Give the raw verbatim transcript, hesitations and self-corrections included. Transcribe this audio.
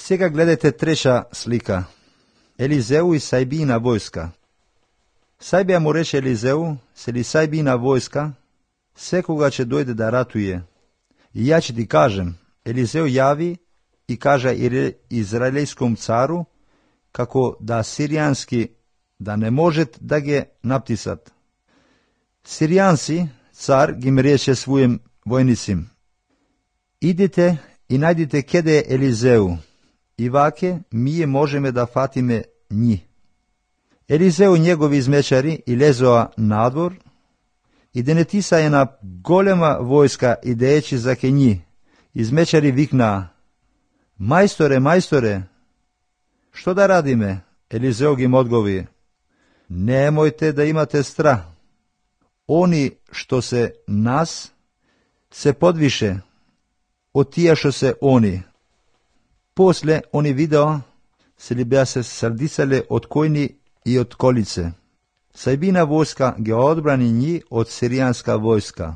Сега gledajte treća slika. Елизеу и Сайбина войска. Сайбија му рече Елизеу, се ли Сайбина войска, секога ќе дојде да ратуе. И ја ќе ти кажем, Елизеу јаvi и кажа израелском цару, како да сиријански да не может да ги наптисат. Сиријанци, цар ги м рече својим војницим, идите и најдите кеде е Елизеу, и ваке мие можеме да фатиме њи. Елизеу и негови измечари и лезоа надвор, и денетиса една голема војска идејќи за ке њи. Измечари викнаа, мајсторе, мајсторе, што да радиме? Елизеу ги им одговори, немојте да имате страх. Они што се нас, се подвише од тие што се они. После они видео се ли беа се срдицале од којни и од колице. Сайбина војска ги одбрани њи од сиријанска војска.